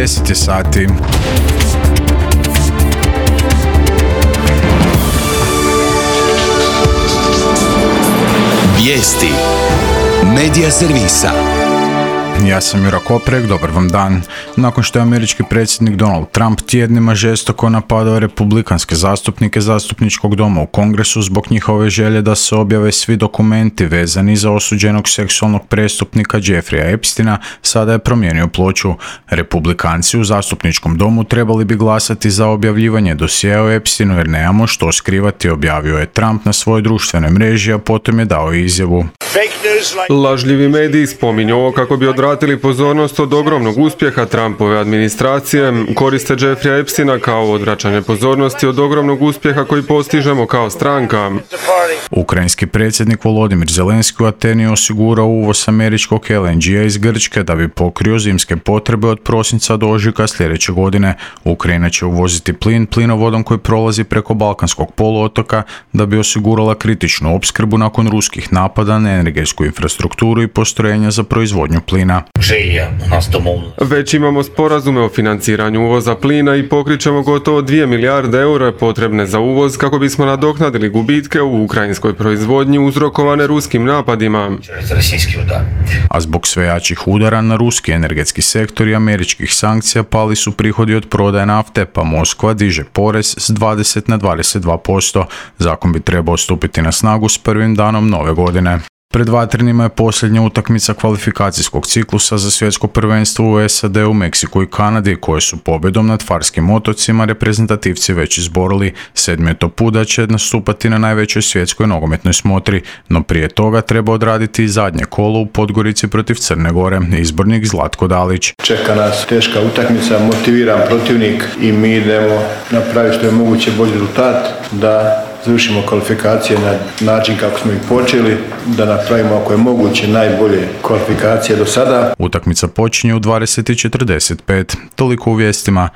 10 je sati. Vijesti Medija servisa. Ja sam Jura Koprek, dobar vam dan. Nakon što je američki predsjednik Donald Trump tjednima žestoko napadao republikanske zastupnike zastupničkog doma u Kongresu zbog njihove želje da se objave svi dokumenti vezani za osuđenog seksualnog prestupnika Jeffreya Epsteina, sada je promijenio ploču. Republikanci u zastupničkom domu trebali bi glasati za objavljivanje dosjea o Epsteinu jer nemamo što skrivati, objavio je Trump na svojoj društvenoj mreži, a potom je dao izjavu. Lažljivi mediji spominju ovo kako bi odvratili pozornost od ogromnog uspjeha Trumpove administracije, koriste Jeffreya Epsteina kao odvraćanje pozornosti od ogromnog uspjeha koji postižemo kao stranka. Ukrajinski predsjednik Volodimir Zelenski u Ateni osigurao uvoz američkog LNG-a iz Grčke da bi pokrio zimske potrebe od prosinca do ožujka sljedeće godine. Ukrajina će uvoziti plin plinovodom koji prolazi preko Balkanskog poluotoka da bi osigurala kritičnu opskrbu nakon ruskih napada na energetsku infrastrukturu i postrojenja za proizvodnju plina. Već imamo sporazume o financiranju uvoza plina i pokrićemo gotovo 2 milijarde eura potrebne za uvoz kako bismo nadoknadili gubitke u ukrajinskoj proizvodnji uzrokovane ruskim napadima. A zbog sve jačih udara na ruski energetski sektor i američkih sankcija pali su prihodi od prodaje nafte, pa Moskva diže porez s 20 na 22%. Zakon bi trebao stupiti na snagu s prvim danom nove godine. Pred vatrenima je posljednja utakmica kvalifikacijskog ciklusa za svjetsko prvenstvo u SAD-u, Meksiku i Kanadi, koje su pobjedom nad Farskim otocima reprezentativci već izborili. 7. je to put da će nastupati na najvećoj svjetskoj nogometnoj smotri, no prije toga treba odraditi i zadnje kolo u Podgorici protiv Crne Gore, izbornik Zlatko Dalić. Čeka nas teška utakmica, motiviran protivnik i mi idemo napraviti što je moguće bolji rezultat, da završimo kvalifikacije na način kako smo ih počeli, da napravimo ako je moguće najbolje kvalifikacije do sada. Utakmica počinje u 20:45. Toliko u vijestima.